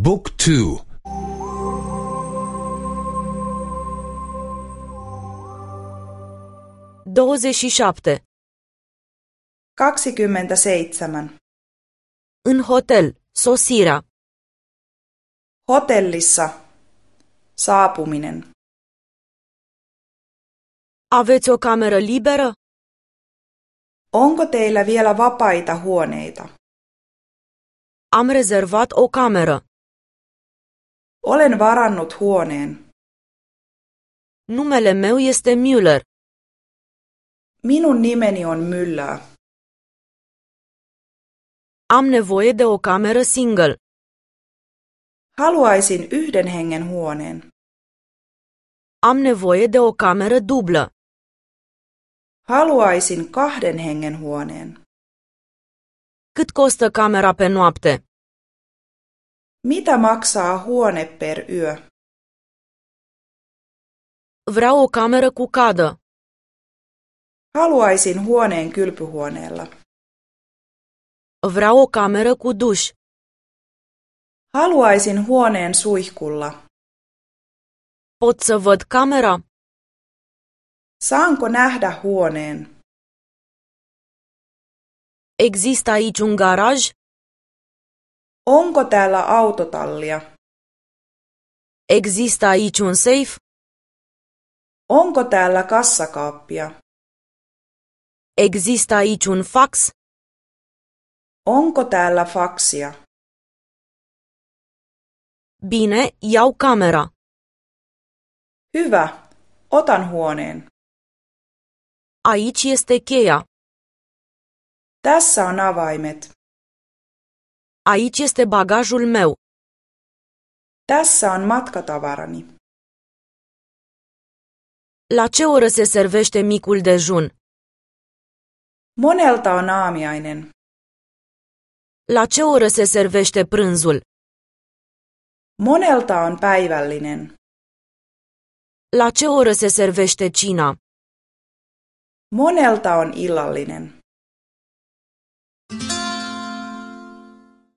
Book 2. 27. 27. În hotel, sosirea. Hotellissa. Saapuminen. Aveți o cameră liberă? Onko teillä vielä vapaita huoneita? Am rezervat o cameră. Olen varannut huoneen. Numele meu este Müller. Minun nimeni on Müller. Am nevoie de o cameră single. Haluaisin yhden hengen huoneen. Am nevoie de o cameră dublă. Haluaisin kahden hengen huoneen. Cât costă camera pe noapte? Mitä maksaa huone per yö? Vreau o cameră cu cadă. Haluaisin huoneen kylpyhuoneella. Vreau o cameră cu duș. Haluaisin huoneen suihkulla. Pot să văd camera? Saanko nähdä huoneen? Există aici un garaj? Onko täällä autotallia? Există aici un safe? Onko täällä kassakaappia? Există aici un fax? Onko täällä faksia? Bine, iau camera. Hyvä, otan huoneen. Aici este cheia. Tässä on avaimet. Aici este bagajul meu. Tässä on matkatavarani. La ce oră se servește micul dejun? Monelta on aamiainen. La ce oră se servește prânzul? Monelta on päivällinen. La ce oră se servește cina? Monelta on illallinen.